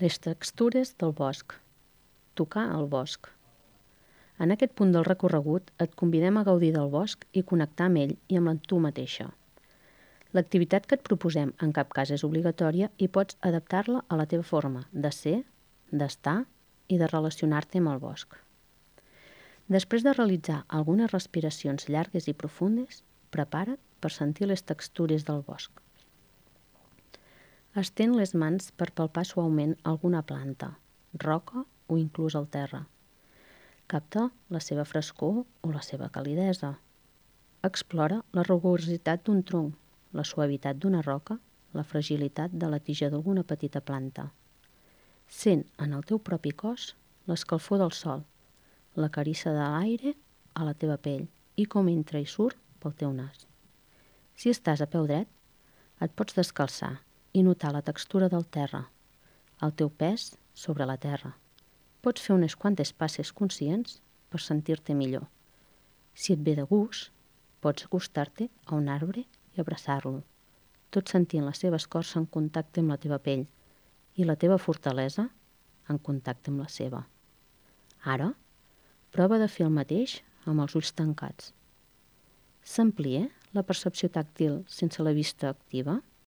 Les textures del bosc. Tocar el bosc. En aquest punt del recorregut et convidem a gaudir del bosc i connectar amb ell i amb tu mateixa. L'activitat que et proposem en cap cas és obligatòria i pots adaptar-la a la teva forma de ser, d'estar i de relacionar-te amb el bosc. Després de realitzar algunes respiracions llargues i profundes, prepara't per sentir les textures del bosc. Estén les mans per palpar suaument alguna planta, roca o inclús el terra. Capta la seva frescor o la seva calidesa. Explora la rugositat d'un tronc, la suavitat d'una roca, la fragilitat de la tija d'alguna petita planta. Sent en el teu propi cos l'escalfor del sol, la carissa de l'aire a la teva pell i com entra i surt pel teu nas. Si estàs a peu dret, et pots descalçar i notar la textura del terra, el teu pes sobre la terra. Pots fer unes quantes passes conscients per sentir-te millor. Si et ve de gust, pots acostar-te a un arbre i abraçar-lo, tot sentint la seva escorça en contacte amb la teva pell i la teva fortalesa en contacte amb la seva. Ara, prova de fer el mateix amb els ulls tancats. S'amplia la percepció tàctil sense la vista activa?